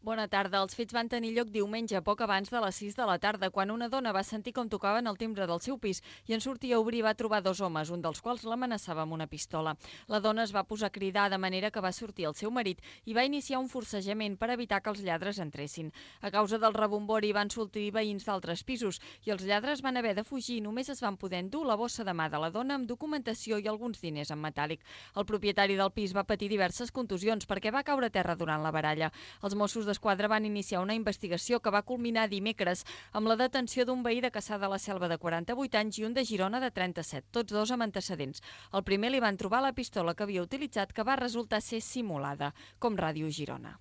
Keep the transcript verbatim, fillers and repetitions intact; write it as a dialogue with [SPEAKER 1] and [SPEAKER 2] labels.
[SPEAKER 1] Bona tarda. Els fets van tenir lloc diumenge, poc abans de les sis de la tarda, quan una dona va sentir com tocaven el timbre del seu pis i en sortir a obrir va trobar dos homes, un dels quals l'amenaçava amb una pistola. La dona es va posar a cridar de manera que va sortir el seu marit i va iniciar un forcejament per evitar que els lladres entressin. A causa del rebombori van sortir veïns d'altres pisos i els lladres van haver de fugir i només es van poder endur la bossa de mà de la dona amb documentació i alguns diners en metàl·lic. El propietari del pis va patir diverses contusions perquè va caure a terra durant la baralla. Els Mossos d'Esquadra van iniciar una investigació que va culminar dimecres amb la detenció d'un veí de Cassà de la Selva de quaranta-vuit anys i un de Girona de trenta-set, tots dos amb antecedents. Al primer li van trobar la pistola que havia utilitzat, que va resultar ser simulada, com Ràdio Girona.